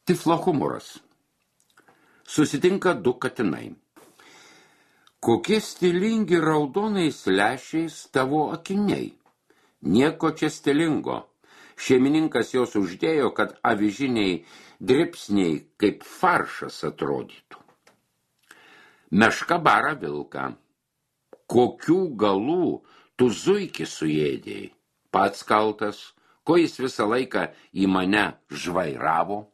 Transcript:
Tiflo humoras. Susitinka du katinai. Kokie stilingi raudonais lęšiais tavo akiniai? Nieko čia stilingo. Šeimininkas jos uždėjo, kad avižiniai dribsniai kaip faršas atrodytų. Meška bara vilką. Kokių galų tu zuikį suėdėjai? Pats kaltas, ko jis visą laiką į mane žvairavo?